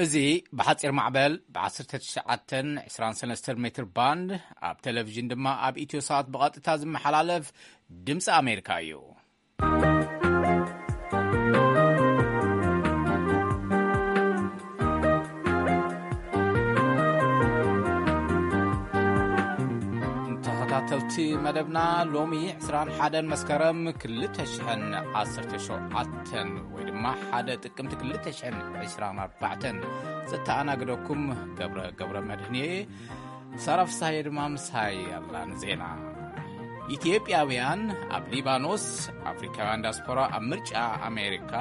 እዚ ብሓጺር ማዕበል ብ19 23 ሜትር ባንድ፣ ኣብ ቴሌቪዥን ድማ ኣብ ኢትዮ ሳት ብቐጥታ ዝመሓላለፍ ድምፂ ኣሜሪካ እዩ። ተኸታተልቲ መደብና፣ ሎሚ ዕስራን ሓደን መስከረም ክልተ ሽሕን ዓሰርተ ሸውዓተን ወይ ድማ ሓደ ጥቅምቲ ክልተ ሽሕን ዕስራን ኣርባዕተን ዘተኣናግደኩም ገብረ ገብረ መድህን እየ። ሳራ ፍሳሐ ድማ ምሳይ ኣላ። ንዜና፣ ኢትዮጵያውያን ኣብ ሊባኖስ፣ ኣፍሪካውያን ዲያስፖራ ኣብ ምርጫ ኣሜሪካ፣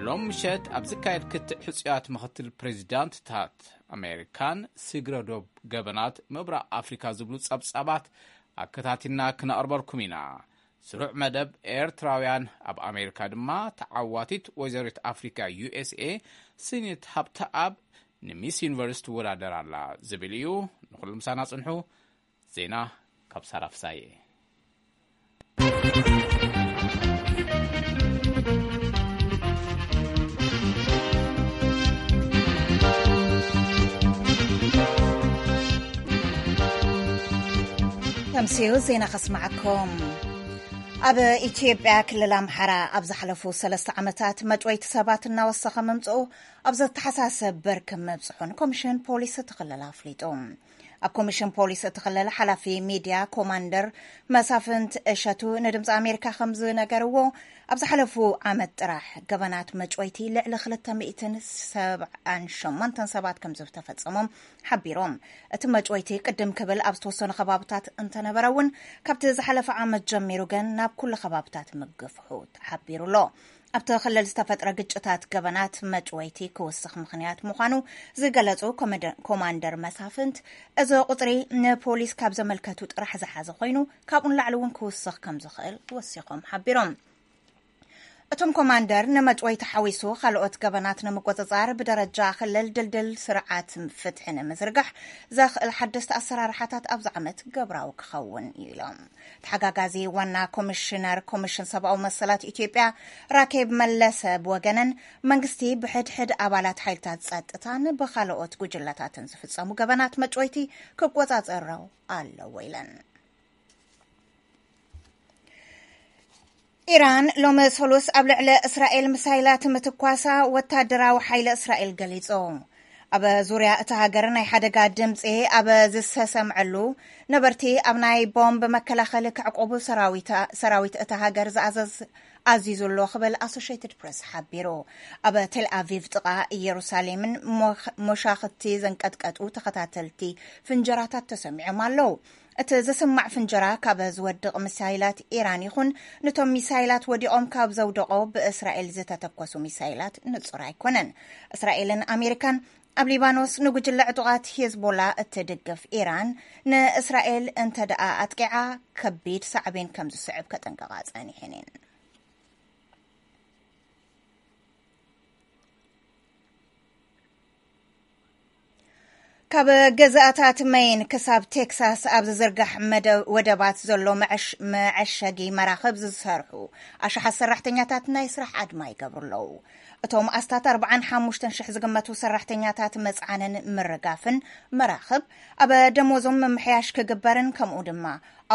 ሎም ምሸት ኣብ ዝካየድ ክትዕ ሕጹያት ምኽትል ፕሬዚዳንትታት ኣሜሪካን ስግረ ዶብ ገበናት ምብራቕ ኣፍሪካ ዝብሉ ጸብጻባት ኣከታቲልና ክነቕርበልኩም ኢና። ስሩዕ መደብ ኤርትራውያን ኣብ ኣሜሪካ ድማ ተዓዋቲት ወይዘሪት ኣፍሪካ ዩ ኤስ ኤ ስኒት ሃብተኣብ ንሚስ ዩኒቨርስ ትወዳደር ኣላ ዝብል እዩ። ንኹሉ ምሳና ጽንሑ። ዜና ካብ ሳራ ፍሳዬ። ተምስዩ ዜና ከስማዓኩም። ኣብ ኢትዮጵያ ክልል ኣምሓራ ኣብ ዝሓለፉ ሰለስተ ዓመታት መጭወይቲ ሰባት እናወሰኸ ምምፅኡ ኣብ ዘተሓሳሰብ ብርክ ምብፅሑን ኮሚሽን ፖሊስ እቲ ክልል ኣፍሊጡ። ኣብ ኮሚሽን ፖሊስ እቲ ክልል ሓላፊ ሚድያ ኮማንደር መሳፍንት እሸቱ ንድምፂ ኣሜሪካ ከም ዝነገርዎ፣ ኣብ ዝሓለፉ ዓመት ጥራሕ ገበናት መጭወይቲ ልዕሊ ክልተ ሚእትን ሰብዓን ሸሞንተን ሰባት ከም ዝተፈጸሞም ሓቢሮም። እቲ መጭወይቲ ቅድም ክብል ኣብ ዝተወሰኑ ከባብታት እንተነበረ እውን፣ ካብቲ ዝሓለፈ ዓመት ጀሚሩ ግን ናብ ኩሉ ከባብታት ምግፍሑ ተሓቢሩ ኣሎ። ኣብቲ ክልል ዝተፈጥረ ግጭታት ገበናት መጭወይቲ ክውስኽ ምኽንያት ምዃኑ ዝገለጹ ኮመደ-፣ ኮማንደር መሳፍንት፣ እዚ ቁጽሪ ንፖሊስ ካብ ዘመልከቱ ጥራሕ ዝሓዘ ኮይኑ፣ ካብኡ ንላዕሊ እውን ክውስኽ ከም ዝኽእል ወሲኾም ሓቢሮም። እቶም ኮማንደር፣ ንመጭወይቲ ሓዊሱ ካልኦት ገበናት ንምቁጽጻር ብደረጃ ክልል ድልድል ስርዓት ፍትሒ ንምዝርጋሕ ዘኽእል ሓደስቲ ኣሰራርሓታት ኣብዚ ዓመት ግብራዊ ክኸውን እዩ ኢሎም። ተሓጋጋዚ ዋና ኮሚሽነር ኮሚሽን ሰብኣዊ መሰላት ኢትዮጵያ ራኬብ መለሰ ብወገነን፣ መንግስቲ ብሕድሕድ ኣባላት ሓይልታት ጸጥታን ብኻልኦት ጉጅለታትን ዝፍጸሙ ገበናት መጭወይቲ ክቆጻጸሮ ኣለዎ ኢለን። ኢራን ሎሚ ሰሉስ ኣብ ልዕሊ እስራኤል ሚሳይላት ምትኳሳ ወታደራዊ ሓይሊ እስራኤል ገሊጹ። ኣብ ዙርያ እታ ሃገር ናይ ሓደጋ ድምጺ ኣብ ዝተሰምዐሉ፣ ነበርቲ ኣብ ናይ ቦምብ መከላኸሊ ክዕቆቡ ሰራዊት፣ ሰራዊት እታ ሃገር ዝኣዘዝ ኣዚዙ ኣሎ ክብል ኣሶሼትድ ፕሬስ ሓቢሩ። ኣብ ቴል ኣቪቭ ጥቓ ኢየሩሳሌምን ሞኽ-፣ ሞሻኽቲ ዘንቀጥቀጡ ተኸታተልቲ ፍንጀራታት ተሰሚዖም ኣለዉ። እቲ ዝስማዕ ፍንጀራ ካብ ዝወድቕ ሚሳይላት ኢራን ይኹን፣ ነቶም ሚሳይላት ወዲቖም ካብ ዘውደቖ ብእስራኤል ዝተተኮሱ ሚሳይላት ንጹር ኣይኮነን። እስራኤልን ኣሜሪካን ኣብ ሊባኖስ ንጉጅለ ዕጡቓት ሂዝቦላ እትድግፍ ኢራን፣ ንእስራኤል እንተ ደኣ ኣጥቂዓ፣ ከቢድ ሳዕቤን ከም ዝስዕብ ከጠንቀቓ ጸኒሐን እየን። ካብ ገዛእታት መይን ክሳብ ቴክሳስ ኣብ ዝዝርጋሕ መደ-፣ ወደባት ዘሎ መዐሽ-፣ መዐሸጊ መራኽብ ዝሰርሑ ኣሽሓት ሰራሕተኛታት ናይ ስራሕ ኣድማ ይገብሩ ኣለዉ። እቶም ኣስታት ኣርባዓን ሓሙሽተን ሽሕ ዝግመቱ ሰራሕተኛታት መጽዓንን ምርጋፍን መራኽብ፣ ኣብ ደሞዞም ምምሕያሽ ክግበርን ከምኡ ድማ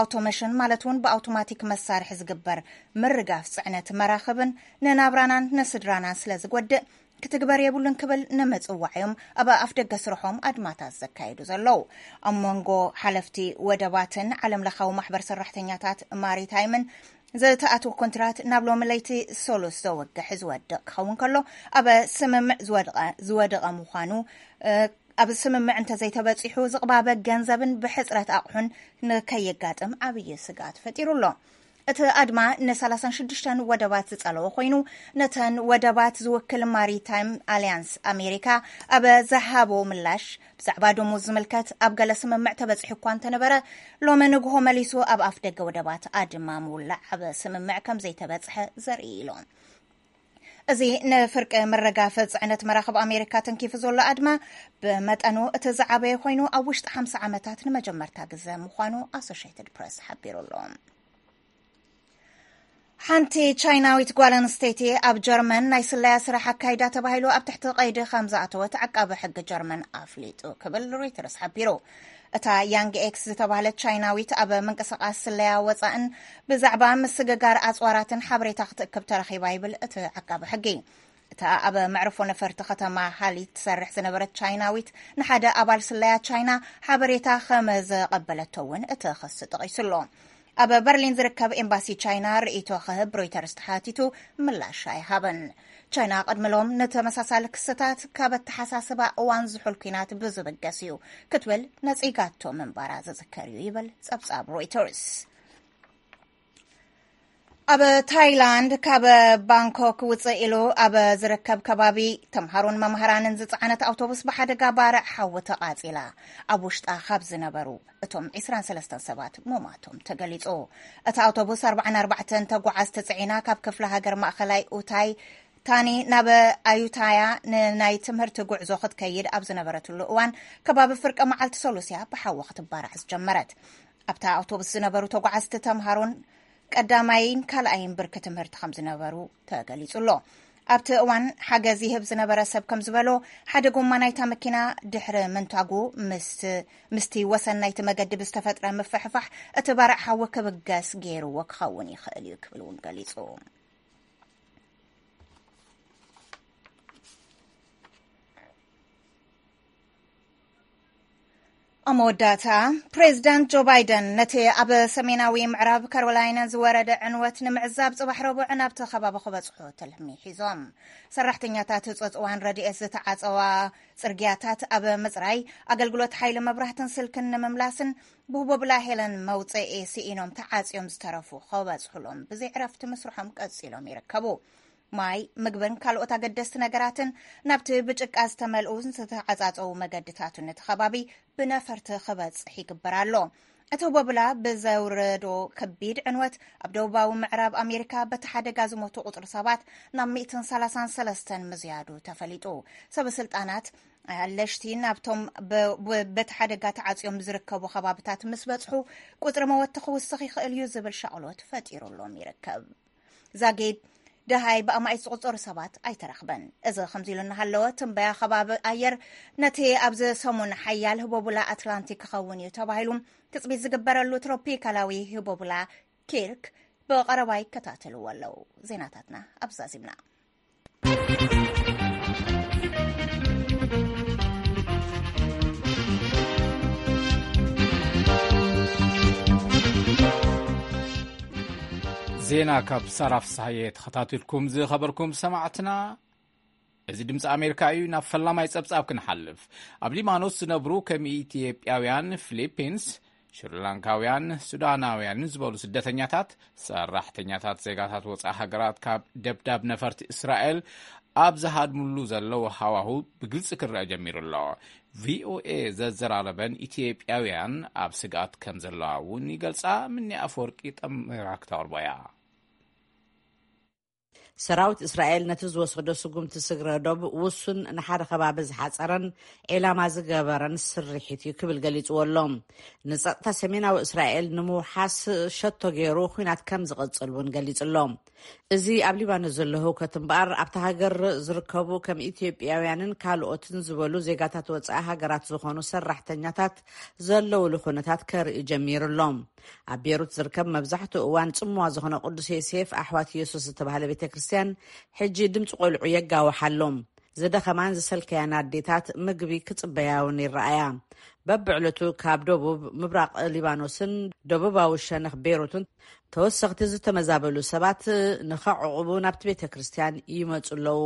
ኣውቶሜሽን ማለት እውን ብኣውቶማቲክ መሳርሒ ዝግበር ምርጋፍ ጽዕነት መራኽብን ንናብራናን ንስድራናን ስለ ዝጎድእ፣ ክትግበር የብሉን ክብል ንምጽዋዕ እዮም ኣብ ኣፍ ደገ ስርሖም ኣድማታት ዘካየዱ ዘለዉ። ኣብ መንጎ ሓለፍቲ ወደባትን ዓለም ለኻዊ ማሕበር ሰራሕተኛታት ማሪታይምን ዝተኣትወ ኮንትራት ናብ ሎሚ ለይቲ ሰሉስ ዘወግሕ ዝወድቕ ክኸውን ከሎ፣ ኣብ ስምምዕ ዝወድቐ-፣ ዝወደቐ ምዃኑ፣ እ፣ ኣብ ስምምዕ እንተዘይተበጺሑ ዝቕባበ ገንዘብን ብሕጽረት ኣቑሑን ንከየጋጥም ዓብዪ ስግኣት ፈጢሩ ኣሎ። እቲ ኣድማ ንሰላሳን ሽዱሽተን ወደባት ዝጸለወ ኮይኑ፣ ነተን ወደባት ዝውክል ማሪታይም ኣልያንስ ኣሜሪካ ኣብ ዝሃቦ ምላሽ፣ ብዛዕባ ደሞዝ ዝምልከት ኣብ ገለ ስምምዕ ተበጺሑ እኳ እንተነበረ፣ ሎሚ ንግሆ መሊሱ ኣብ ኣፍ ደገ ወደባት ኣድማ ምውላዕ ኣብ ስምምዕ ከም ዘይተበጽሐ ዘርኢ ኢሉ። እዚ ንፍርቂ ምርጋፍ ጽዕነት መራኽብ ኣሜሪካ ተንኪፉ ዘሎ ኣድማ፣ ብመጠኑ እቲ ዝዓበየ ኮይኑ፣ ኣብ ውሽጢ ሓምሳ ዓመታት ንመጀመርታ ግዘ ምዃኑ ኣሶሼትድ ፕሬስ ሓቢሩ ኣሎ። ሓንቲ ቻይናዊት ጓል ኣንስተይቲ ኣብ ጀርመን ናይ ስለያ ስራሕ ኣካይዳ ተባሂሉ ኣብ ትሕቲ ቀይዲ ከም ዝኣተወት ዓቃቢ ሕጊ ጀርመን ኣፍሊጡ ክብል ሮይተርስ ሓቢሩ። እታ ያንግ ኤክስ ዝተባህለት ቻይናዊት ኣብ ምንቅስቃስ ስለያ ወፃእን ብዛዕባ ምስግጋር ኣፅዋራትን ሓበሬታ ክትእክብ ተረኺባ ይብል እቲ ዓቃቢ ሕጊ። እታ ኣብ መዕርፎ ነፈርቲ ከተማ ሃሊ ትሰርሕ ዝነበረት ቻይናዊት ንሓደ ኣባል ስለያ ቻይና ሓበሬታ ከም ዘቐበለቶ እውን እቲ ክሲ ጠቒሱ ኣሎ። ኣብ በርሊን ዝርከብ ኤምባሲ ቻይና ርእይቶ ክህብ ሮይተርስ ተሓቲቱ ምላሽ ኣይሃበን። ቻይና ቅድሚ ሎም ንተመሳሳሊ ክስታት ካብ ኣተሓሳስባ እዋን ዝሑል ኲናት ብዝብገስ እዩ ክትብል ነጺጋቶ ምንባራ ዝዝከር እዩ ይብል ጸብጻብ ሮይተርስ። ኣብ ታይላንድ ካብ ባንኮክ ውፅእ ኢሉ ኣብ ዝርከብ ከባቢ ተምሃሮን መምሃራንን ዝፀዓነት ኣውቶቡስ ብሓደጋ ባርዕ ሓዊ ተቓፂላ። ኣብ ውሽጣ ካብ ዝነበሩ እቶም ዕስራን ሰለስተን ሰባት ምሟቶም ተገሊፁ። እቲ ኣውቶቡስ ኣርባዓን ኣርባዕተን ተጓዓዝቲ ፅዒና ካብ ክፍለ ሃገር ማእኸላይ ኡታይ ታኒ ናብ ኣዩታያ ንናይ ትምህርቲ ጉዕዞ ክትከይድ ኣብ ዝነበረትሉ እዋን ከባቢ ፍርቂ መዓልቲ ሰሉስያ ብሓዊ ክትባራዕ ዝጀመረት። ኣብታ ኣውቶቡስ ዝነበሩ ተጓዓዝቲ ተምሃሮን ቀዳማይን ካልኣይን ብርኪ ትምህርቲ ከም ዝነበሩ ተገሊጹ ኣሎ። ኣብቲ እዋን ሓገዝ ይህብ ዝነበረ ሰብ ከም ዝበሎ፣ ሓደ ጎማ ናይታ መኪና ድሕሪ ምንታጉ ምስ ምስቲ ወሰን ናይቲ መገዲ ብዝተፈጥረ ምፍሕፋሕ እቲ ባርዕ ሓዊ ክብገስ ገይርዎ ክኸውን ይኽእል እዩ ክብል እውን ገሊጹ። ኣብ መወዳእታ፣ ፕሬዚዳንት ጆ ባይደን ነቲ ኣብ ሰሜናዊ ምዕራብ ካሮላይና ዝወረደ ዕንወት ንምዕዛብ ጽባሕ ረቡዕ ናብቲ ከባቢ ክበጽሑ ትልሚ ሒዞም። ሰራሕተኛታት ጸጽዋን ረድኤት ዝተዓጸዋ ጽርግያታት ኣብ ምጽራይ፣ ኣገልግሎት ሓይሊ መብራህትን ስልክን ንምምላስን ብህቦብላ ሄለን መውጽኢ ስኢኖም ተዓጽዮም ዝተረፉ ክበጽሑሎም ብዘይ ዕረፍቲ ምስርሖም ቀጺሎም ይርከቡ። ማይ፣ ምግብን ካልኦት ኣገደስቲ ነገራትን ናብቲ ብጭቃ ዝተመልኡ ዝተዓጻጸዉ መገድታቱን እቲ ከባቢ ብነፈርቲ ክበጽሕ ይግበር ኣሎ። እቲ ቦብላ ብዘውረዶ ከቢድ ዕንወት ኣብ ደቡባዊ ምዕራብ ኣሜሪካ በቲ ሓደጋ ዝሞቱ ቁጽሪ ሰባት ናብ ሚእትን ሰላሳን ሰለስተን ምዝያዱ ተፈሊጡ። ሰበ ስልጣናት ኣለሽቲ ናብቶም በ-፣ በ-፣ በቲ ሓደጋ ተዓጽዮም ዝርከቡ ከባብታት ምስ በጽሑ ቁጽሪ መወቲ ክውስኽ ይኽእል እዩ ዝብል ሻቕሎት ፈጢሩሎም ይርከብ። ዛጊድ ደሃይ ብኣማኢት ዝቑጸሩ ሰባት ኣይተረኽበን። እዚ ከምዚ ኢሉ እናሃለወ፣ ትንበያ ከባቢ ኣየር ነቲ ኣብዚ ሰሙን ሓያል ህቦቡላ ኣትላንቲክ ክኸውን እዩ ተባሂሉ ትጽቢት ዝግበረሉ ትሮፒካላዊ ህቦቡላ ኪርክ ብቐረባ ይከታተልዎ ኣለዉ። ዜናታትና ኣብዛዚምና። ዜና ካብ ሳራ ፍስሃየ ተኸታቲልኩም ዝኸበርኩም ሰማዕትና፣ እዚ ድምፂ ኣሜሪካ እዩ። ናብ ፈላማይ ፀብፃብ ክንሓልፍ፣ ኣብ ሊባኖስ ዝነብሩ ከም ኢትዮጵያውያን፣ ፊሊፒንስ፣ ሽሪላንካውያን፣ ሱዳናውያን ዝበሉ ስደተኛታት፣ ሰራሕተኛታት ዜጋታት ወፃኢ ሃገራት ካብ ደብዳብ ነፈርቲ እስራኤል ኣብ ዝሃድምሉ ዘለዉ ሃዋሁ ብግልፂ ክረአ ጀሚሩ ኣሎ። ቪኦኤ ዘዘራረበን ኢትዮጵያውያን ኣብ ስግኣት ከም ዘለዋ እውን ይገልፃ። ምኒ ኣፈወርቂ ጠምራ ክተቕርቦ እያ። ሰራዊት እስራኤል ነቲ ዝወሰዶ ስጉምቲ ስግረ ዶብ ውሱን ንሓደ ከባቢ ዝሓጸረን ዒላማ ዝገበረን ስርሒት እዩ ክብል ገሊጽዎ ኣሎ። ንጸጥታ ሰሜናዊ እስራኤል ንምውሓስ ሸቶ ገይሩ ኲናት ከም ዝቕጽል እውን ገሊጹ ኣሎ። እዚ ኣብ ሊባኖስ ዘሎ ህውከት እምበኣር ኣብታ ሃገር ዝርከቡ ከም ኢትዮጵያውያንን ካልኦትን ዝበሉ ዜጋታት ወጻኢ ሃገራት ዝኾኑ ሰራሕተኛታት ዘለውሉ ኩነታት ከርኢ ጀሚሩ ኣሎ። ኣብ ቤሩት ዝርከብ መብዛሕትኡ እዋን ጽምዋ ዝኾነ ቅዱስ ዮሴፍ ኣሕዋት ኢየሱስ ዝተባህለ ቤተ ክርስቲያን ሕጂ ድምፂ ቆልዑ የጋውሓሎም። ዝደኸማን ዝሰልከያን ኣዴታት ምግቢ ክጽበያ እውን ይረኣያ። በብዕለቱ ካብ ደቡብ ምብራቕ ሊባኖስን ደቡባዊ ሸነኽ ቤሩትን ተወሰኽቲ ዝተመዛበሉ ሰባት ንኸዕቑቡ ናብቲ ቤተ ክርስቲያን ይመጹ ኣለዉ።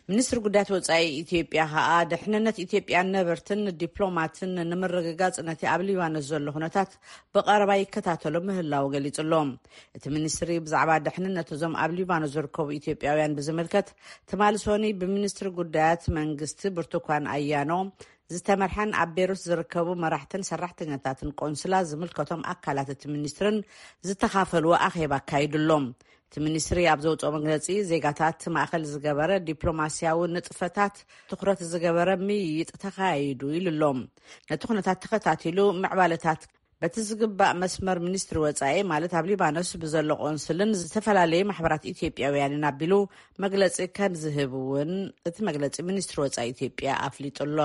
ሚኒስትሪ ጉዳያት ወጻኢ ኢትዮጵያ ከኣ ድሕንነት ኢትዮጵያን ነበርትን ዲፕሎማትን ንምርግጋጽ ነቲ ኣብ ሊባኖስ ዘሎ ኩነታት ብቐረባ ይከታተሎ ምህላዉ ገሊጹ ኣሎ። እቲ ሚኒስትሪ ብዛዕባ ድሕንነት እዞም ኣብ ሊባኖስ ዝርከቡ ኢትዮጵያውያን ብዝምልከት ትማሊ ሶኒ ብሚኒስትሪ ጉዳያት መንግስቲ ብርቱኳን ኣያኖ ዝተመርሐን ኣብ ቤሩት ዝርከቡ መራሕትን ሰራሕተኛታትን ቆንስላ ዝምልከቶም ኣካላት እቲ ሚኒስትርን ዝተኻፈልዎ ኣኼባ ኣካይዱ ኣሎ። እቲ ሚኒስትሪ ኣብ ዘውፅኦ መግለፂ ዜጋታት ማእኸል ዝገበረ ዲፕሎማስያዊ ንጥፈታት ትኹረት ዝገበረ ምይይጥ ተኻይዱ ኢሉ ኣሎ። ነቲ ኩነታት ተኸታቲሉ ምዕባለታት በቲ ዝግባእ መስመር ሚኒስትሪ ወጻኢ፣ ማለት ኣብ ሊባኖስ ብዘሎ ቆንስልን ዝተፈላለዩ ማሕበራት ኢትዮጵያውያንን ኣቢሉ መግለጺ ከም ዝህብ እውን እቲ መግለጺ ሚኒስትሪ ወጻኢ ኢትዮጵያ ኣፍሊጡ ኣሎ።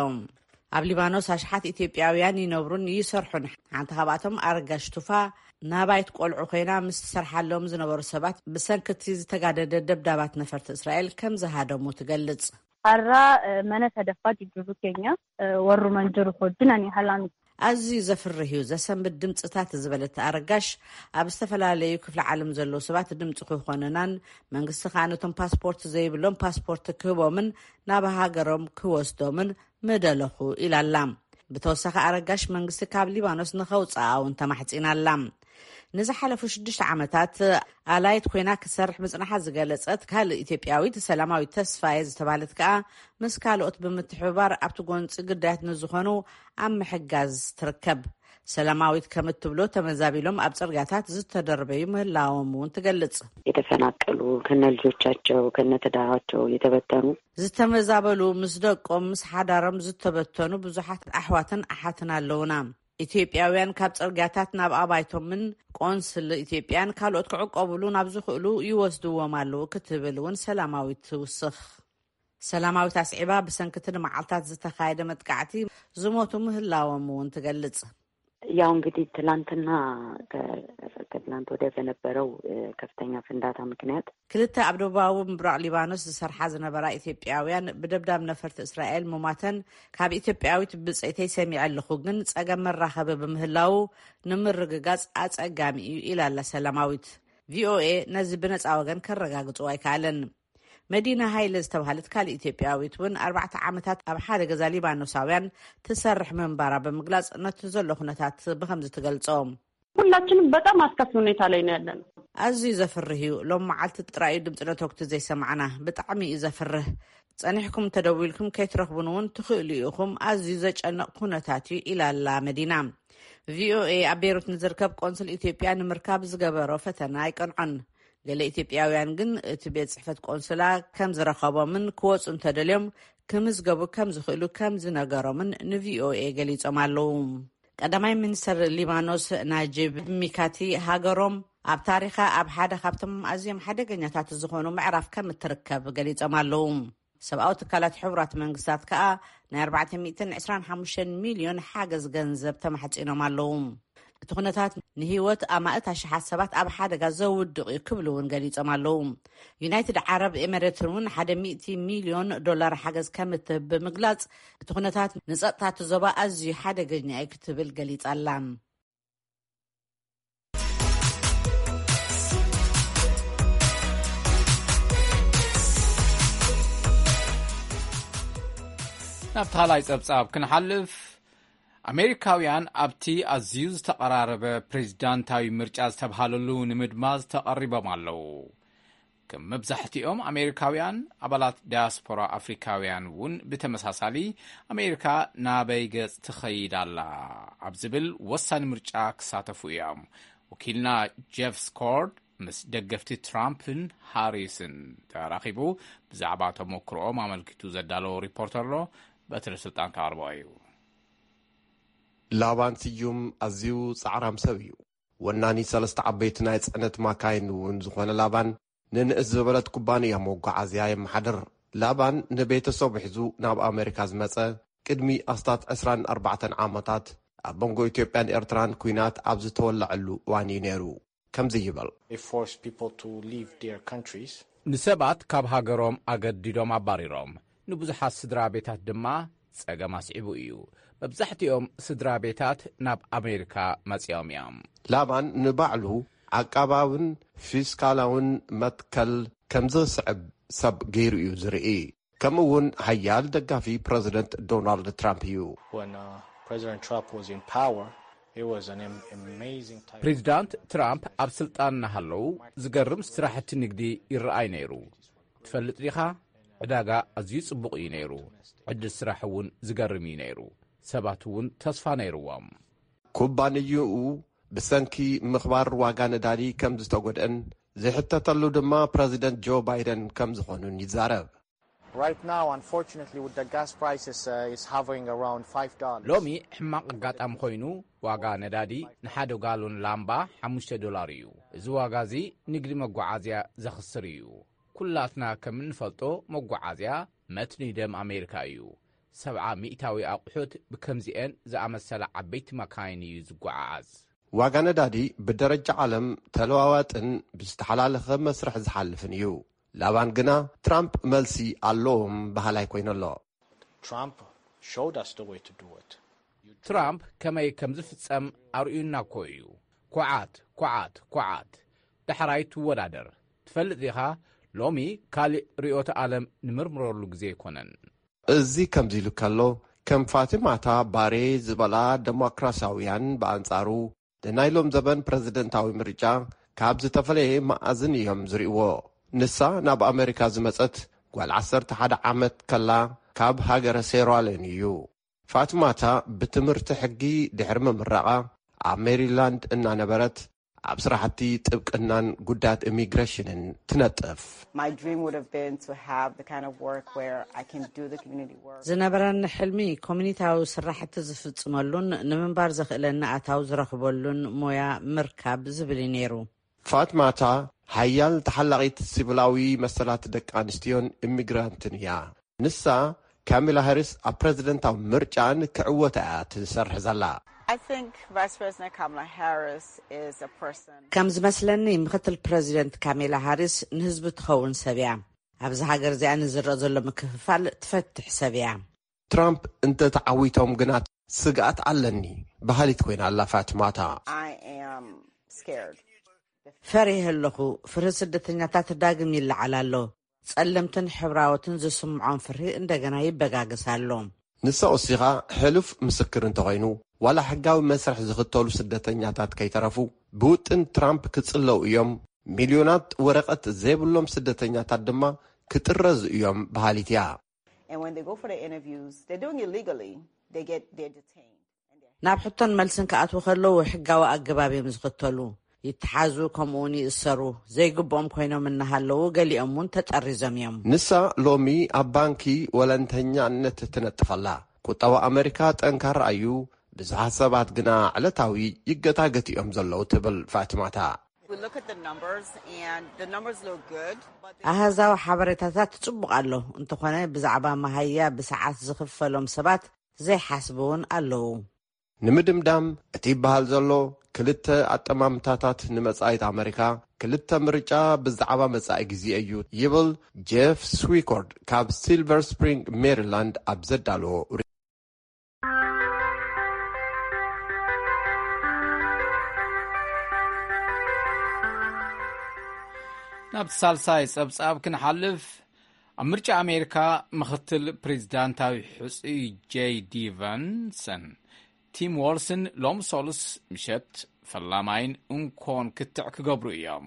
ኣብ ሊባኖስ ኣሽሓት ኢትዮጵያውያን ይነብሩን ይሰርሑን። ሓንቲ ካብኣቶም ኣረጋሽ ቱፋ፣ ናባይት ቆልዑ ኮይና ምስ ትሰርሓሎም ዝነበሩ ሰባት ብሰንክቲ ዝተጋደደ ደብዳባት ነፈርቲ እስራኤል ከም ዝሃደሙ ትገልጽ። Har'a eh, mana sadaffaa jijjiirru keenya eh, warruman jiru hojinan halaan ኣዝዩ ዘፍርህ እዩ። ዘሰንብድ ድምፅታት ዝበለት ኣረጋሽ፣ ኣብ ዝተፈላለዩ ክፍለ ዓለም ዘለዉ ሰባት ድምፂ ክኾኑናን መንግስቲ ከዓ ነቶም ፓስፖርት ዘይብሎም ፓስፖርት ክህቦምን ናብ ሃገሮም ክወስዶምን ምደለኹ ኢላላ። ብተወሳኺ ኣረጋሽ መንግስቲ ካብ ሊባኖስ ንኸውፅኣ እውን ተማሕፂናላ። ንዝሓለፉ ሽዱሽተ ዓመታት ኣላይት ኮይና ክትሰርሕ ምፅናሓ ዝገለፀት ካልእ ኢትዮጵያዊት ሰላማዊት ተስፋየ ዝተባህለት ከዓ ምስ ካልኦት ብምትሕብባር ኣብቲ ጎንፂ ግዳያት ንዝኾኑ ኣብ ምሕጋዝ ትርከብ። ሰላማዊት ከም እትብሎ ተመዛቢሎም ኣብ ፅርግያታት ዝተደርበዩ ምህላዎም እውን ትገልፅ። የተፈናቀሉ ከነ ልጆቻቸው ከነ ትዳራቸው የተበተኑ ዝተመዛበሉ ምስ ደቆም ምስ ሓዳሮም ዝተበተኑ ብዙሓት ኣሕዋትን ኣሓትን ኣለውና። ኢትዮጵያውያን ካብ ጽርግያታት ናብ ኣባይቶምን ቆንስል ኢትዮጵያን ካልኦት ክዕቆብሉ ናብ ዝኽእሉ ይወስድዎም ኣለዉ ክትብል እውን ሰላማዊት ትውስኽ። ሰላማዊት ኣስዒባ ብሰንኪ እቲ ንመዓልታት ዝተኻየደ መጥቃዕቲ ዝሞቱ ምህላዎም እውን ትገልጽ። ያው እንግዲህ ትላንትና ከትላንት ወዲያ በነበረው ከፍተኛ ፍንዳታ ምክንያት ክልተ ኣብ ደቡባዊ ምብራቕ ሊባኖስ ዝሰርሓ ዝነበራ ኢትዮጵያውያን ብደብዳብ ነፈርቲ እስራኤል ምሟተን ካብ ኢትዮጵያዊት ብጸይተይ ሰሚዐ ኣለኹ፣ ግን ጸገም መራኸቢ ብምህላዉ ንምርግጋጽ ኣጸጋሚ እዩ ኢላላ ሰላማዊት። ቪኦኤ ነዚ ብነጻ ወገን ከረጋግጾ ኣይከኣለን። መዲና ሃይለ ዝተባህለት ካልእ ኢትዮጵያዊት እውን ኣርባዕተ ዓመታት ኣብ ሓደ ገዛ ሊባኖሳውያን ትሰርሕ ምንባራ ብምግላጽ ነቲ ዘሎ ኩነታት ብኸምዚ ትገልጾ። ሁላችንም በጣም አስከፊ ሁኔታ ላይ ነው ያለነው። ኣዝዩ ዘፍርህ እዩ። ሎም መዓልቲ ጥራይ እዩ ድምፂ ነተጉቲ ዘይሰማዕና። ብጣዕሚ እዩ ዘፍርህ። ጸኒሕኩም እንተደዊልኩም ከይትረኽቡን እውን ትኽእሉ ኢኹም። ኣዝዩ ዘጨንቕ ኩነታት እዩ ኢላላ መዲና። ቪኦኤ ኣብ ቤይሩት ንዝርከብ ቆንስል ኢትዮጵያ ንምርካብ ዝገበሮ ፈተና ኣይቀንዖን። ገለ ኢትዮጵያውያን ግን እቲ ቤት ጽሕፈት ቆንስላ ከም ዝረኸቦምን ክወፁ እንተደልዮም ክምዝገቡ ከም ዝኽእሉ ከም ዝነገሮምን ንቪኦኤ ገሊጾም ኣለዉ። ቀዳማይ ሚኒስተር ሊባኖስ ናጂብ ሚካቲ ሃገሮም ኣብ ታሪኻ ኣብ ሓደ ካብቶም ኣዝዮም ሓደገኛታት ዝኾኑ ምዕራፍ ከም እትርከብ ገሊጾም ኣለዉ። ሰብኣዊ ትካላት ሕቡራት መንግስታት ከኣ ናይ ኣርባዕተ ሚእትን ዕስራን ሓሙሽተን ሚልዮን ሓገዝ ገንዘብ ተማሕጺኖም ኣለዉ። እቲ ኩነታት ንህይወት ኣማእት ኣሽሓት ሰባት ኣብ ሓደጋ ዘውድቕ እዩ ክብሉ እውን ገሊጾም ኣለዉ። ዩናይትድ ዓረብ ኤምሬትን እውን ሓደ ሚእቲ ሚልዮን ዶላር ሓገዝ ከም እትህብ ብምግላጽ እቲ ኩነታት ንጸጥታ እቲ ዞባ ኣዝዩ ሓደገኛ እዩ ክትብል ገሊጻ ኣላ። ናብቲ ካልኣይ ጸብጻብ ክንሓልፍ፣ ኣሜሪካውያን ኣብቲ ኣዝዩ ዝተቐራረበ ፕሬዚዳንታዊ ምርጫ ዝተብሃለሉ ንምድማዝ ተቐሪቦም ኣለዉ። ከም መብዛሕትኦም ኣሜሪካውያን፣ ኣባላት ዳያስፖራ ኣፍሪካውያን እውን ብተመሳሳሊ ኣሜሪካ ናበይ ገጽ ትኸይድ ኣላ ኣብ ዝብል ወሳኒ ምርጫ ክሳተፉ እዮም። ወኪልና ጀፍ ስኮርድ ምስ ደገፍቲ ትራምፕን ሃሪስን ተራኺቡ ብዛዕባ ተመክሮኦም ኣመልኪቱ ዘዳለዎ ሪፖርተር ኣሎ። በትሪ ስልጣን ከቕርቦ እዩ። ላባን ስዩም ኣዝዩ ጻዕራም ሰብ እዩ። ወናኒ ሰለስተ ዓበይቲ ናይ ጽዕነት ማካይን እውን ዝኾነ ላባን፣ ንንእስ ዝበለት ኩባንያ መጓዓዝያ የመሓድር። ላባን ንቤተሰቡ ሒዙ ናብ ኣሜሪካ ዝመጸ ቅድሚ ኣስታት ዕስራን ኣርባዕተን ዓመታት፣ ኣብ መንጎ ኢትዮጵያን ኤርትራን ኲናት ኣብ ዝተወለዐሉ እዋን እዩ ነይሩ። ከምዚ ይብል። They forced people to leave their countries. ንሰባት ካብ ሃገሮም ኣገዲዶም ኣባሪሮም፣ ንብዙሓት ስድራ ቤታት ድማ ጸገም ኣስዒቡ እዩ። መብዛሕትኦም ስድራ ቤታት ናብ ኣሜሪካ መጺኦም እዮም። ላባን ንባዕሉ ዓቃባውን ፊስካላውን መትከል ከም ዝስዕብ ሰብ ገይሩ እዩ ዝርኢ። ከምኡ እውን ሓያል ደጋፊ ፕረዚደንት ዶናልድ ትራምፕ እዩ። When uh, President Trump was in power, it was an am- amazing type. ፕሬዚዳንት ትራምፕ ኣብ ስልጣን እናሃለዉ ዝገርም ስራሕቲ ንግዲ ይረኣይ ነይሩ። ትፈልጥ ዲኻ? ዕዳጋ ኣዝዩ ጽቡቕ እዩ ነይሩ። ዕድል ስራሕ እውን ዝገርም እዩ ነይሩ። ሰባት እውን ተስፋ ነይርዎም። ኩባንይኡ ብሰንኪ ምኽባር ዋጋ ነዳዲ ከም ዝተጎድአን ዝሕተተሉ ድማ ፕረዚደንት ጆ ባይደን ከም ዝኾኑን ይዛረብ። Right now, unfortunately, with the gas prices uh, is hovering around five dollars. ሎሚ ሕማቕ ኣጋጣሚ ኮይኑ ዋጋ ነዳዲ ንሓደ ጋሎን ላምባ ሓሙሽተ ዶላር እዩ። እዚ ዋጋ እዚ ንግዲ መጓዓዝያ ዘኽስር እዩ። ኩላትና ከም እንፈልጦ መጓዓዝያ መትኒ ደም ኣሜሪካ እዩ። ሰብዓ ሚእታዊ ኣቑሑት ብከምዚኤን ዝኣመሰላ ዓበይቲ መካይን እዩ ዝጓዓዓዝ። ዋጋ ነዳዲ ብደረጃ ዓለም ተለዋዋጥን ብዝተሓላለኸ መስርሕ ዝሓልፍን እዩ። ላባን ግና ትራምፕ መልሲ ኣለዎም በሃላይ ኮይኑ ኣሎ። Trump showed us the way to do it. ትራምፕ ከመይ ከም ዝፍጸም ኣርእዩና እኮ እዩ። ኩዓት ኩዓት ኩዓት። ዳሕራይ ትወዳደር። ትፈልጥ ዲኻ? ሎሚ ካልእ ርእዮተ ዓለም ንምርምረሉ ግዜ ኣይኮነን። እዚ ከምዚ ኢሉ ከሎ፣ ከም ፋቲማታ ባሬ ዝበላ ደሞክራሲያውያን ብኣንጻሩ ንናይ ሎም ዘበን ፕረዚደንታዊ ምርጫ ካብ ዝተፈለየ መኣዝን እዮም ዝርእይዎ። ንሳ ናብ ኣመሪካ ዝመጸት ጓል ዓሰርተ ሓደ ዓመት ከላ ካብ ሃገረ ሴራልዮን እዩ። ፋቲማታ ብትምህርቲ ሕጊ ድሕሪ ምምራቓ ኣብ ሜሪላንድ እናነበረት ኣብ ስራሕቲ ጥብቅናን ጉዳያት ኢሚግሬሽንን ትነጥፍ። My dream would have been to have the kind of work where I can do the community work. ዝነበረኒ ሕልሚ ኮሚኒታዊ ስራሕቲ ዝፍጽመሉን ንምንባር ዘኽእለኒ ኣታዊ ዝረኽበሉን ሞያ ምርካብ ዝብል እዩ ነይሩ። ፋትማታ ሓያል ተሓላቒት ሲቪላዊ መሰላት ደቂ ኣንስትዮን ኢሚግራንትን እያ። ንሳ ካሚላ ሃሪስ ኣብ ፕረዚደንታዊ ምርጫ ንክዕወታ እያ ትሰርሕ ዘላ። I think Vice President Kamala Harris is a person. ከም ዝመስለኒ ምክትል ፕረዚደንት ካሜላ ሃሪስ ንህዝቢ ትኸውን ሰብ እያ። ኣብዚ ሃገር እዚኣ ንዝረአ ዘሎ ምክፍፋል ትፈትሕ ሰብ እያ። ትራምፕ እንተተዓዊቶም ግና ስግኣት ኣለኒ በሃሊት ኮይና ኣላ ፋትማታ። I am scared. ፈሪህ ኣለኹ። ፍርሂ ስደተኛታት ዳግም ይለዓል ኣሎ። ጸለምትን ሕብራዎትን ዝስምዖም ፍርሂ እንደገና ይበጋገስ ኣሎ። ንሳ ወሲኻ ሕሉፍ ምስክር እንተኾይኑ ዋላ ሕጋዊ መስርሕ ዝኽተሉ ስደተኛታት ከይተረፉ ብውጥን ትራምፕ ክጽለው እዮም። ሚልዮናት ወረቐት ዘይብሎም ስደተኛታት ድማ ክጥረዙ እዮም በሃሊት እያ። And when they go for the interviews, they're doing it legally. They get they're detained. And they're ናብ ሕቶን መልስን ክኣትዉ ከለዉ ሕጋዊ ኣገባብ እዮም ዝኽተሉ። ይተሓዙ፣ ከምኡውን ይእሰሩ። ዘይግብኦም ኮይኖም እናሃለዉ ገሊኦም እውን ተጠሪዞም እዮም። ንሳ ሎሚ ኣብ ባንኪ ወለንተኛነት ትነጥፍ ኣላ። ቁጠባ ኣመሪካ ጠንካራ እዩ፣ ብዙሓት ሰባት ግና ዕለታዊ ይገታገት እዮም ዘለዉ ትብል ፋትማታ። We look at the numbers, and the numbers look good. But they ኣሃዛዊ ሓበሬታታት ጽቡቕ ኣሎ። እንተኾነ ብዛዕባ መሃያ ብሰዓት ዝኽፈሎም ሰባት ዘይሓስቡ እውን ኣለዉ። ንምድምዳም እቲ ይበሃል ዘሎ ክልተ ኣጠማምታታት ንመጻኢት ኣመሪካ ክልተ ምርጫ ብዛዕባ መጻኢ ግዜ እዩ ይብል ጄፍ ስዊኮርድ ካብ ሲልቨር ስፕሪንግ ሜሪላንድ ኣብ ዘዳለዎ። ናብቲ ሳልሳይ ጸብጻብ ክንሓልፍ፣ ኣብ ምርጫ ኣሜሪካ ምኽትል ፕሬዚዳንታዊ ሕጹይ ጄይ ዲ ቫንሰን ቲም ዋልስን ሎም ሶሉስ ምሸት ፈላማይን እንኮን ክትዕ ክገብሩ እዮም።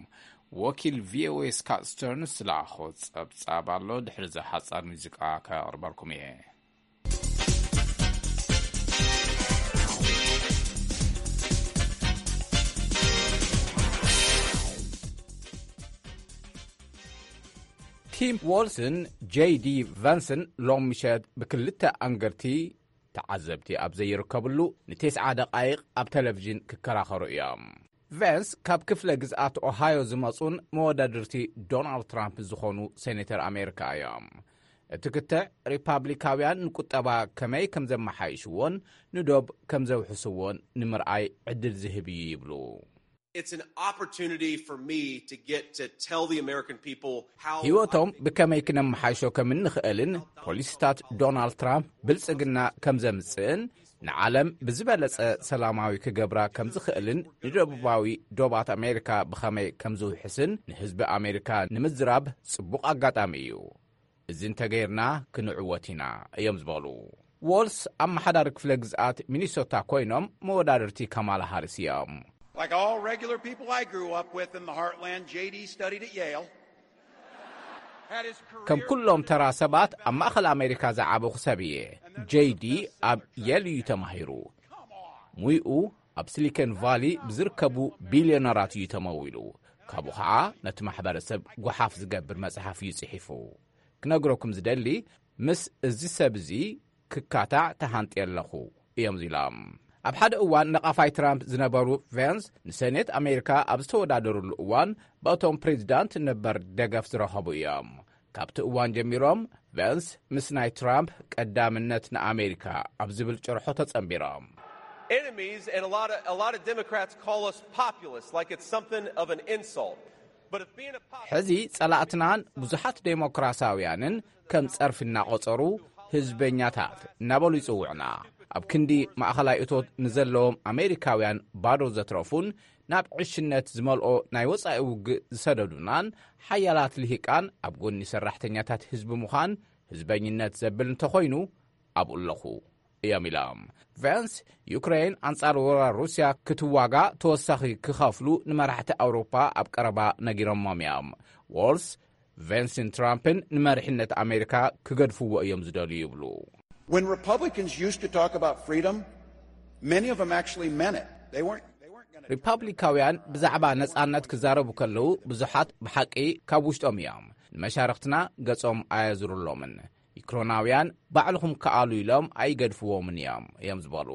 ወኪል ቪኦኤ ስካት ስተርንስ ዝለኣኾ ጸብጻብ ኣሎ። ድሕሪ ዝሓጻር ሙዚቃ ከቕርበልኩም እየ። ቲም ዋልስን ጄይ ዲ ቫንስን ሎም ምሸት ብክልተ ኣንገርቲ ተዓዘብቲ ኣብ ዘይርከብሉ ንቴስዓ ደቓይቕ ኣብ ቴሌቪዥን ክከራኸሩ እዮም። ቫንስ ካብ ክፍለ ግዝኣት ኦሃዮ ዝመጹን መወዳድርቲ ዶናልድ ትራምፕ ዝኾኑ ሴኔተር ኣሜሪካ እዮም። እቲ ክትዕ ሪፓብሊካውያን ንቁጠባ ከመይ ከም ዘመሓይሽዎን ንዶብ ከም ዘውሕስዎን ንምርኣይ ዕድል ዝህብ እዩ ይብሉ። It's an opportunity for me to get to tell the American people how ህይወቶም I think ብከመይ ክነመሓይሾ ከም እንኽእልን ፖሊሲታት ዶናልድ ትራምፕ ብልጽግና ከም ዘምጽእን ንዓለም ብዝበለጸ ሰላማዊ ክገብራ ከም ዝኽእልን ንደቡባዊ ዶባት ኣሜሪካ ብኸመይ ከም ዝውሕስን ንህዝቢ ኣሜሪካ ንምዝራብ ጽቡቕ ኣጋጣሚ እዩ። እዚ እንተገይርና ክንዕወት ኢና እዮም ዝበሉ። ዎልስ ኣመሓዳሪ ክፍለ ግዝኣት ሚኒሶታ ኮይኖም መወዳድርቲ ካማላ ሃሪስ እዮም። Like all regular people I grew up with in the heartland, J D studied at Yale. Had his career ከም ኩሎም ተራ ሰባት ኣብ ማእኸል ኣሜሪካ ዝዓበኹ ሰብ እየ። ጄይ ዲ ኣብ የል እዩ ተማሂሩ። ሙይኡ ኣብ ሲሊኮን ቫሊ ብዝርከቡ ቢልዮነራት እዩ ተመዊሉ። ካብኡ ኸዓ ነቲ ማሕበረሰብ ጓሓፍ ዝገብር መጽሓፍ እዩ ጽሒፉ። ክነግረኩም ዝደሊ፣ ምስ እዚ ሰብ እዚ ክካታዕ ተሃንጥየ ኣለኹ እዮም ኢሎም። ኣብ ሓደ እዋን ነቓፋይ ትራምፕ ዝነበሩ ቬንስ ንሰኔት ኣሜሪካ ኣብ ዝተወዳደሩሉ እዋን ብእቶም ፕሬዚዳንት ነበር ደገፍ ዝረኸቡ እዮም። ካብቲ እዋን ጀሚሮም ቬንስ ምስ ናይ ትራምፕ ቀዳምነት ንኣሜሪካ ኣብ ዝብል ጭርሖ ተጸንቢሮም። Enemies and a lot of a lot of Democrats call us populist, like it's something of an insult. But if being a populist ሕዚ ጸላእትናን ብዙሓት ዴሞክራሳውያንን ከም ጸርፊ እናቖጸሩ ህዝበኛታት እናበሉ ይጽውዑና። ኣብ ክንዲ ማእኸላይ እቶት ንዘለዎም ኣሜሪካውያን ባዶ ዘትረፉን ናብ ዕሽነት ዝመልኦ ናይ ወጻኢ ውግእ ዝሰደዱናን ሓያላት ልሂቃን ኣብ ጎኒ ሰራሕተኛታት ህዝቢ ምዃን ህዝበኝነት ዘብል እንተኾይኑ ኣብኡ ኣለኹ እዮም ኢሎም። ቬንስ ዩክሬን ኣንጻር ወራር ሩስያ ክትዋጋ ተወሳኺ ክኸፍሉ ንመራሕቲ ኣውሮፓ ኣብ ቀረባ ነጊሮሞም እዮም። ዎልስ ቬንስን ትራምፕን ንመሪሕነት ኣሜሪካ ክገድፍዎ እዮም ዝደልዩ ይብሉ። When Republicans used to talk about freedom, many of them actually meant it. They weren't. They weren't going to. ሪፓብሊካውያን ብዛዕባ ነጻነት ክዛረቡ ከለዉ ብዙሓት ብሓቂ ካብ ውሽጦም እዮም። ንመሻርኽትና ገጾም ኣየዙሩሎምን። ዩክሬናውያን ባዕልኹም ከኣሉ ኢሎም ኣይገድፍዎምን እዮም እዮም ዝበሉ።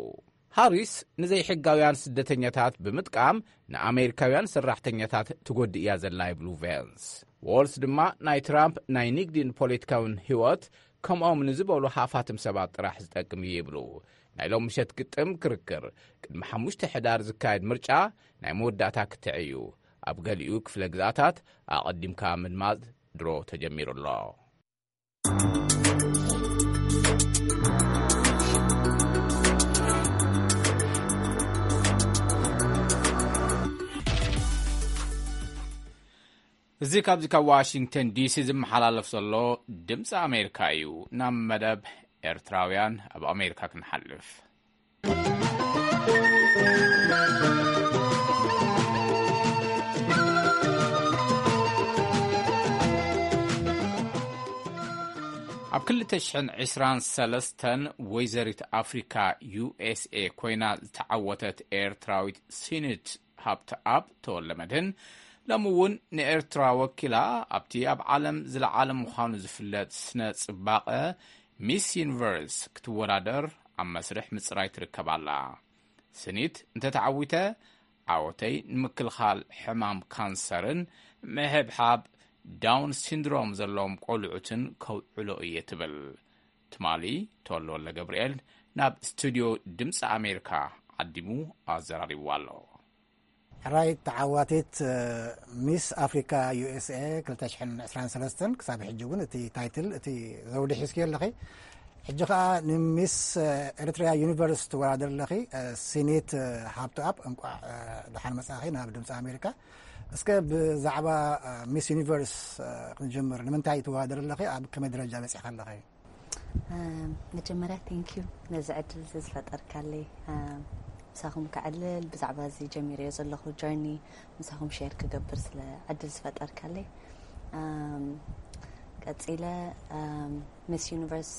ሃሪስ ንዘይሕጋውያን ስደተኛታት ብምጥቃም ንኣሜሪካውያን ሰራሕተኛታት ትጎድእ እያ ዘላ ይብሉ ቬንስ። ዎልስ ድማ ናይ ትራምፕ ናይ ንግድን ፖለቲካውን ህይወት ከምኦም ንዝበሉ ሃፋትም ሰባት ጥራሕ ዝጠቅም እዩ ይብሉ። ናይ ሎም ምሸት ግጥም ክርክር ቅድሚ ሓሙሽተ ሕዳር ዝካየድ ምርጫ ናይ መወዳእታ ክትዕ እዩ። ኣብ ገሊኡ ክፍለ ግዛታት ኣቐዲምካ ምድማፅ ድሮ ተጀሚሩ ኣሎ። እዚ ካብዚ ካብ ዋሽንግተን ዲሲ ዝመሓላለፍ ዘሎ ድምፂ ኣሜሪካ እዩ። ናብ መደብ ኤርትራውያን ኣብ ኣሜሪካ ክንሓልፍ። ኣብ ክልተ ሽሕን ዕስራን ሰለስተን ወይዘሪት ኣፍሪካ ዩ ኤስ ኤ ኮይና ዝተዓወተት ኤርትራዊት ሲኒት ሃብተኣብ ተወልደመድህን ሎሚ እውን ንኤርትራ ወኪላ ኣብቲ ኣብ ዓለም ዝለዓለ ምዃኑ ዝፍለጥ ስነ ጽባቐ ሚስ ዩኒቨርስ ክትወዳደር ኣብ መስርሕ ምጽራይ ትርከብ ኣላ። ስኒት እንተተዓዊተ ዓወተይ ንምክልኻል ሕማም ካንሰርን ምሕብሓብ ዳውን ሲንድሮም ዘለዎም ቆልዑትን ከውዕሎ እየ ትብል። ትማሊ ተወልደ ወልደ ገብርኤል ናብ ስቱድዮ ድምፂ ኣሜሪካ ዓዲሙ ኣዘራሪብዋ ኣሎ። ሕራይ ተዓዋቲት ሚስ ኣፍሪካ ዩ ኤስ ኤ ክልተ ሽሕን ዕስራን ሰለስተን ክሳብ ሕጂ እውን እቲ ታይትል እቲ ዘውዲ ሒዝኪ ኣለኺ። ሕጂ ከዓ ንሚስ ኤርትራ ዩኒቨርስ ትወዳደር ኣለኺ። ሲኒት ሃብተኣብ እንቋዕ ደሓን መጻኺ ናብ ድምፂ ኣሜሪካ። እስከ ብዛዕባ ሚስ ዩኒቨርስ ክንጅምር፣ ንምንታይ ትወዳደር ኣለኺ? ኣብ ከመይ ደረጃ በፂኻ ኣለኺ? መጀመርያ ቴንክ ዩ ነዚ ዕድል እዚ ዝፈጠርካለይ። ምሳኹም ከዕልል ብዛዕባ እዚ ጀሚረዮ ዘለኹ ጆርኒ ምሳኹም ሼር ክገብር ስለ ዕድል ዝፈጠርካለይ። ቀፂለ ሚስ ዩኒቨርስ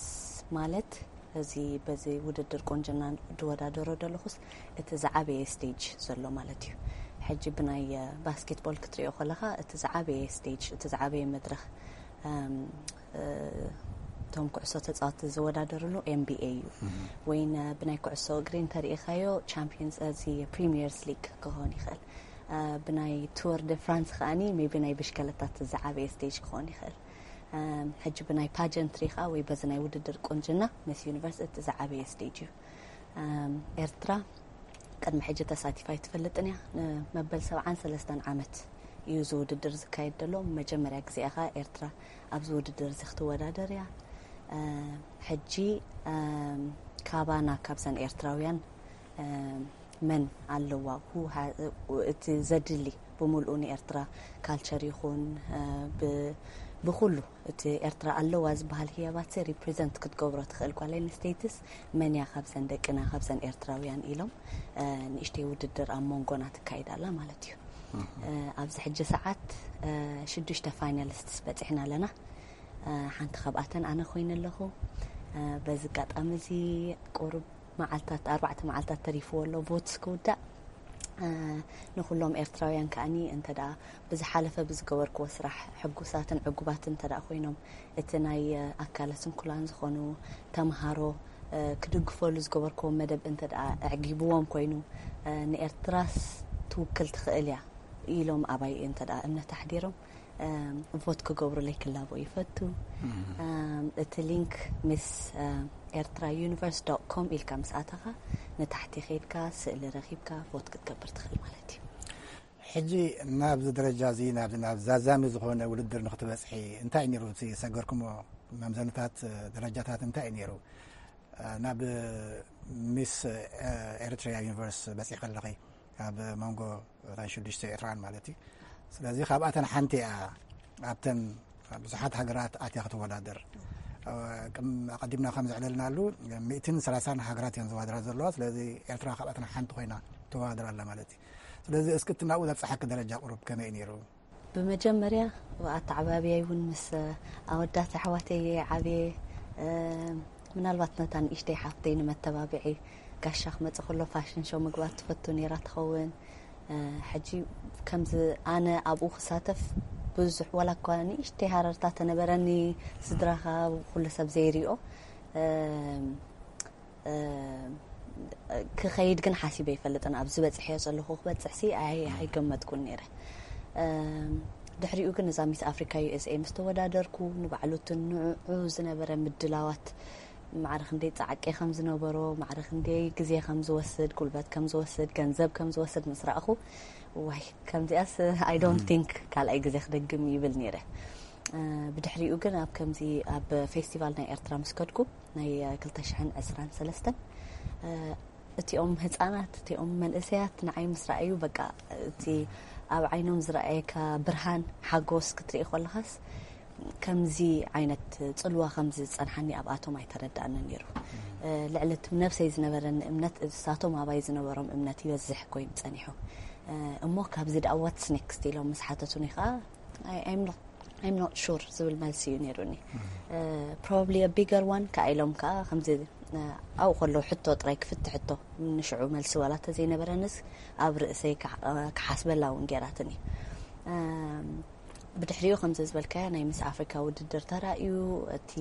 ማለት እዚ በዚ ውድድር ቁንጅና ዝወዳደሮ ዘለኹስ እቲ ዝዓበየ ስቴጅ ዘሎ ማለት እዩ። ሕጂ ብናይ ባስኬትቦል ክትሪኦ ከለኻ እቲ ዝዓበየ ስቴጅ፣ እቲ ዝዓበየ መድረኽ እቶም ኩዕሶ ተፃወቲ ዝወዳደርሉ ኤንቢኤ እዩ። ወይ ብናይ ኩዕሶ እግሪ እንተሪኢኻዮ ቻምፒየንስ እዚ ፕሪሚየርስ ሊግ ክኸውን ይኽእል። ብናይ ቱር ደ ፍራንስ ከዓኒ ሜቢ ናይ ብሽከለታት ዝዓበየ ስቴጅ ክኸውን ይኽእል። ሕጂ ብናይ ፓጀንትሪ ከዓ ወይ በዚ ናይ ውድድር ቁንጅና ሚስ ዩኒቨርስ እቲ ዝዓበየ ስቴጅ እዩ። ኤርትራ ቅድሚ ሕጂ ተሳቲፋ ኣይትፈልጥን እያ። ንመበል ሰብዓን ሰለስተን ዓመት እዩ እዚ ውድድር ዝካየድ ዘሎ። መጀመርያ ግዜኣ ከዓ ኤርትራ ኣብዚ ውድድር እዚ ክትወዳደር እያ። ሕጂ ካባና ካብዘን ኤርትራውያን መን ኣለዋ? እቲ ዘድሊ ብምልኡ ንኤርትራ ካልቸር ይኹን ብኩሉ እቲ ኤርትራ ኣለዋ ዝበሃል ህያባት ሪፕሬዘንት ክትገብሮ ትኽእል ጓል ኣንስተይትስ መን እያ ካብዘን ደቅና ካብዘን ኤርትራውያን ኢሎም ንእሽተይ ውድድር ኣብ መንጎና ትካይድ ኣላ ማለት እዩ። ኣብዚ ሕጂ ሰዓት ሽዱሽተ ፋይናሊስትስ በፂሕና ኣለና። ሓንቲ ካብኣተን ኣነ ኮይነ ኣለኹ። በዚ ኣጋጣሚ እዚ ቁሩብ መዓልታት ኣርባዕተ መዓልታት ተሪፍዎ ኣሎ ቮትስ ክውዳእ። ንኩሎም ኤርትራውያን ከኣኒ እንተ ደኣ ብዝሓለፈ ብዝገበርክዎ ስራሕ ሕጉሳትን ዕጉባትን እንተ ደኣ ኮይኖም፣ እቲ ናይ ኣካለ ስንኩላን ዝኾኑ ተምሃሮ ክድግፈሉ ዝገበርክዎ መደብ እንተ ደኣ ኣዕጊብዎም ኮይኑ፣ ንኤርትራስ ትውክል ትኽእል እያ ኢሎም ኣባይ እንተ ደኣ እምነት ኣሕዲሮም፣ ቮት ክገብሩለይ ክላቦ ይፈቱ። እቲ ሊንክ ምስ ኤርትራ ዩኒቨርስ ዶት ኮም ኢልካ ምስ ኣተኻ፣ ንታሕቲ ኸይድካ ስእሊ ረኺብካ ቮት ክትገብር ትኽእል ማለት እዩ። ሕጂ ናብዚ ደረጃ እዚ፣ ናብዚ ናብ ዛዛሚ ዝኾነ ውድድር ንክትበፅሒ እንታይ እዩ ነይሩ እቲ ሰገርኩሞ መምዘንታት፣ ደረጃታት እንታይ እዩ ነይሩ? ናብ ሚስ ኤሪትሪያ ዩኒቨርስ በፂሕ ከለኺ፣ ኣብ መንጎ እተን ሽዱሽተ ኤርትራን ማለት እዩ። ስለዚ ካብኣተን ሓንቲ እያ፣ ኣብተን ብዙሓት ሃገራት ኣትያ ክትወዳደር። ቅም ኣቐዲምና ከም ዘዕለልናሉ፣ ሚእትን ሰላሳን ሃገራት እየን ዝወዳደራ ዘለዋ። ስለዚ ኤርትራ ካብኣተን ሓንቲ ኮይና ትወዳደር ኣላ ማለት እዩ። ስለዚ እስኪ እቲ ናብኡ ዘብፅሓኪ ደረጃ ቁሩብ ከመይ እዩ ነይሩ? ብመጀመርያ ኣተዓባብያይ እውን ምስ ኣወዳት ኣሕዋተይ እየ ዓብየ። ምናልባት ነታ ንእሽተይ ሓፍተይ ንመተባብዒ፣ ጋሻ ክመጽእ ከሎ ፋሽን ሾው ምግባር ትፈቱ ነይራ ትኸውን። ሕጂ ከምዚ ኣነ ኣብኡ ክሳተፍ ብዙሕ፣ ዋላ እኳ ንእሽተይ ሃረርታ ተነበረኒ፣ ስድራኻ ኩሉ ሰብ ዘይሪኦ ክኸይድ ግን ሓሲበ ይፈልጥን ኣብዚ በፅሕዮ ዘለኹ ክበፅሕሲ ኣይገመትኩን ነይረ። ድሕሪኡ ግን እዛ ሚስ ኣፍሪካ ዩ ኤስ ኤ ምስ ተወዳደርኩ፣ ንባዕሉ እቲ ንዕኡ ዝነበረ ምድላዋት፣ ማዕረ ክንደይ ፃዕቂ ከም ዝነበሮ፣ ማዕረ ክንደይ ግዜ ከም ዝወስድ፣ ጉልበት ከም ዝወስድ፣ ገንዘብ ከም ዝወስድ ምስ ረኣኹ፣ ዋይ፣ ከምዚኣስ I don't think ካልኣይ ግዜ ክደግም ይብል ነይረ። ብድሕሪኡ ግን ኣብ ከምዚ ኣብ ፌስቲቫል ናይ ኤርትራ ምስ ከድኩ፣ ናይ ክልተ ሽሕን ዕስራን ሰለስተን፣ እቲኦም ህፃናት፣ እቲኦም መንእሰያት ንዓይ ምስ ረኣዩ፣ በቃ እቲ ኣብ ዓይኖም ዝረኣየካ ብርሃን፣ ሓጎስ ክትርኢ ከለኻስ፣ ከምዚ ዓይነት ፅልዋ ከምዚ ዝፀንሓኒ ኣብኣቶም ኣይተረዳኣንን ነይሩ። ልዕሊ እቲ ነብሰይ ዝነበረኒ እምነት፣ እሳቶም ኣባይ ዝነበሮም እምነት ይበዝሕ ኮይኑ ፀኒሑ። እሞ ካብዚ ደኣ what's next ኢሎም ምስ ሓተቱኒ ከዓ፣ I'm not sure ዝብል መልሲ እዩ ነይሩኒ። Probably a bigger one ከኣ ኢሎም ከኣ ከምዚ ኣብኡ ከለዉ ሕቶ ጥራይ ክፍትሕ ሕቶ ንሽዑ መልሲ ዋላ እንተዘይነበረንስ ኣብ ርእሰይ ክሓስበላ እውን ገይራትኒ። ብድሕሪኡ ከምዚ ዝበልካያ ናይ ሚስ ኣፍሪካ ውድድር ተራእዩ፣ እቲ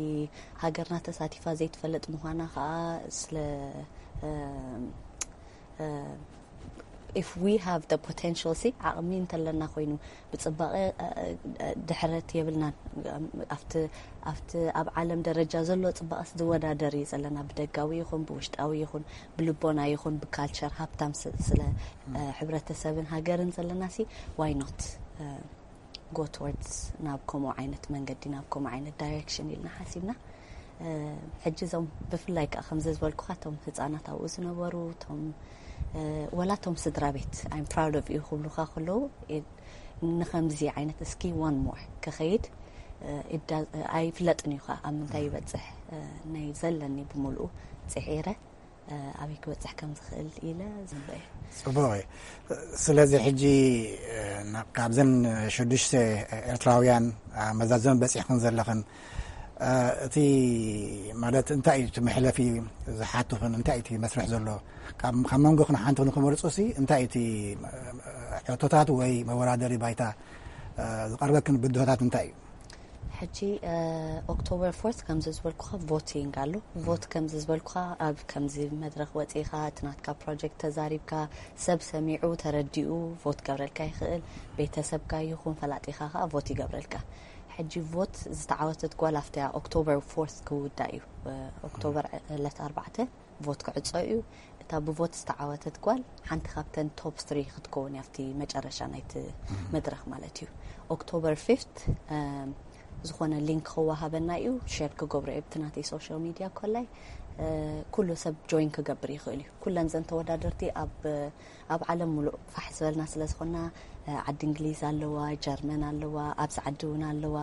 ሃገርና ተሳቲፋ ዘይትፈልጥ ምዃና ከዓ ስለ if we have the potential ሲ ዓቕሚ እንተለና ኮይኑ ብፅባቐ ድሕረት የብልናን። ኣብቲ ኣብቲ ኣብ ዓለም ደረጃ ዘሎ ፅባቐስ ዝወዳደር እዩ ዘለና፣ ብደጋዊ ይኹን ብውሽጣዊ ይኹን ብልቦና ይኹን ብካልቸር ሃብታም ስለ ሕብረተሰብን ሃገርን ዘለና ሲ why not go towards ናብ ከምኡ ዓይነት መንገዲ ናብ ከምኡ ዓይነት ዳይሬክሽን ኢልና ሓሲብና። ሕጂ እዞም ብፍላይ ከዓ ከምዚ ዝበልኩኻ እቶም ህፃናት ኣብኡ ዝነበሩ እቶም ወላ እቶም ስድራ ቤት I'm proud of you ክብሉኻ ከለዉ ንከምዚ ዓይነት እስኪ one more ክኸይድ ኣይፍለጥን እዩ ከዓ ኣብ ምንታይ ይበፅሕ ናይ ዘለኒ ብምልኡ ፅዒረ ኣበይ ክበፅሕ ከም ዝኽእል ኢለ ዝንበ እዩ። ፅቡቕ እዩ። ስለዚ ሕጂ ካብዘን ሽዱሽተ ኤርትራውያን መዛዘም በፂሕክን ዘለኽን እቲ ማለት እንታይ እዩ እቲ መሕለፊ ዝሓቱኽን እንታይ እቲ መስርሕ ዘሎ ካብ መንጎ ክን ሓንቲ ንክመርፁ ሲ እንታይ እቲ ሕቶታት ወይ መወዳደሪ ባይታ ዝቀርበክን ብድሆታት እንታይ እዩ? ሕጂ ኦክቶበር ፎርት ከምዚ ዝበልኩኻ ቮቲንግ ኣሎ። ቮት ከምዚ ዝበልኩኻ ኣብ ከምዚ መድረኽ ወፂእኻ እቲ ናትካ ፕሮጀክት ተዛሪብካ ሰብ ሰሚዑ ተረዲኡ ቮት ገብረልካ ይኽእል። ቤተሰብካ ይኹን ፈላጢኻ ከዓ ቮት ይገብረልካ። ሕጂ ቮት ዝተዓወተት ጓል ኣብቲ ኦክቶበር ፎርት ክውዳእ እዩ። ኦክቶበር ዕለት ኣርባዕተ ቮት ክዕፀ እዩ። እታ ብቮት ዝተዓወተት ጓል ሓንቲ ካብተን ቶፕ ትሪ ክትከውን እያ ኣብቲ መጨረሻ ናይቲ መድረኽ ማለት እዩ። ኦክቶበር ፊፍት ዝኾነ ሊንክ ክወሃበና እዩ። ሼር ክገብሮ እየ ብቲ ናተይ ሶሻል ሚድያ ኮላይ ኩሉ ሰብ ጆይን ክገብር ይኽእል እዩ። ኩለን ዘን ተወዳደርቲ ኣብ ኣብ ዓለም ሙሉእ ፋሕ ዝበልና ስለ ዝኾንና ዓዲ እንግሊዝ ኣለዋ፣ ጀርመን ኣለዋ፣ ኣብዚ ዓዲ እውን ኣለዋ።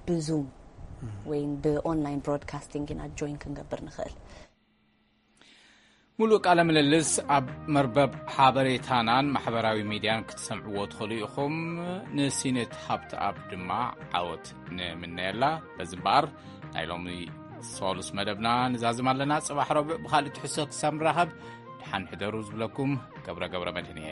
ብዙም ወይ ብኦንላይን ብሮድካስቲንግ ኢና ጆይን ክንገብር ንኽእል። ሙሉእ ቃለ ምልልስ ኣብ መርበብ ሓበሬታናን ማሕበራዊ ሚድያን ክትሰምዕዎ ትኽእሉ ኢኹም። ንሲኔት ሃብተኣብ ድማ ዓወት ንምነየላ። በዚ እምበኣር ናይ ሎሚ ሰሉስ መደብና ንዛዝም ኣለና። ጽባሕ ረቡዕ ብኻልእ ትሕዝቶ ክሳብ ንራኸብ ሓንሕደሩ ዝብለኩም ገብረ ገብረ መድህን እየ።